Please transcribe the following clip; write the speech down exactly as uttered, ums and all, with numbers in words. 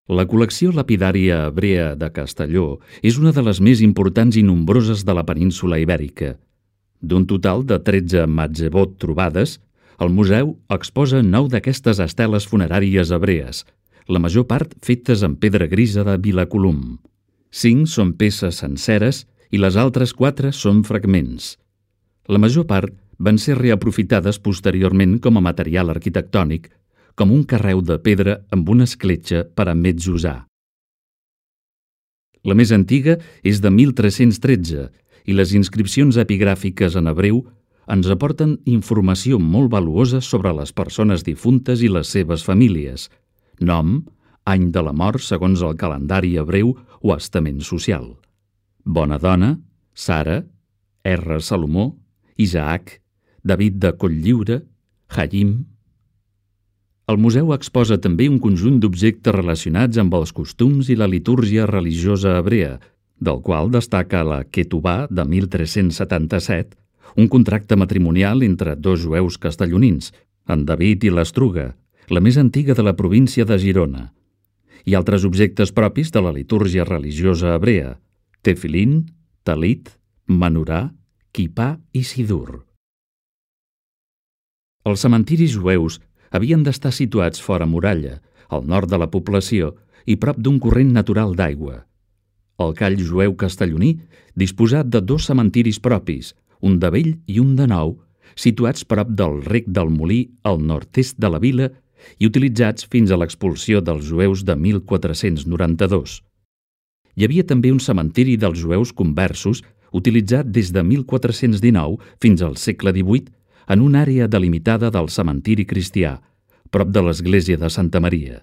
La col·lecció lapidària hebrea de Castelló és una de les més importants i nombroses de la península Ibèrica. D'un total de tretze matzebot trobades, el museu exposa nou d'aquestes esteles funeràries hebrees, la major part fetes en pedra grisa de Vilacolum. Cinc són peces senceres i les altres quatre són fragments. La major part van ser reaprofitades posteriorment com a material arquitectònic, com un carreu de pedra amb una escletxa per a metzosar. La més antiga és de mil tres-cents tretze i les inscripcions epigràfiques en hebreu ens aporten informació molt valuosa sobre les persones difuntes i les seves famílies, nom, any de la mort segons el calendari hebreu o estament social. Bona dona, Sara, R. Salomó, Isaac, David de Cotlliure, Haim. El museu exposa també un conjunt d'objectes relacionats amb els costums i la litúrgia religiosa hebrea, del qual destaca la Ketubà de mil tres-cents setanta-set, un contracte matrimonial entre dos jueus castellonins, en David i l'Estruga, la més antiga de la província de Girona, i altres objectes propis de la litúrgia religiosa hebrea, tefilin, talit, menorà, quipà i sidur. Els cementiris jueus havien d'estar situats fora muralla, al nord de la població i prop d'un corrent natural d'aigua. El call jueu castelloní, disposat de dos cementiris propis, un de vell i un de nou, situats prop del rec del Molí al nord-est de la vila i utilitzats fins a l'expulsió dels jueus de mil quatre-cents noranta-dos. Hi havia també un cementiri dels jueus conversos utilitzat des de mil quatre-cents dinou fins al segle divuit en una àrea delimitada del cementiri cristià, prop de l'església de Santa Maria.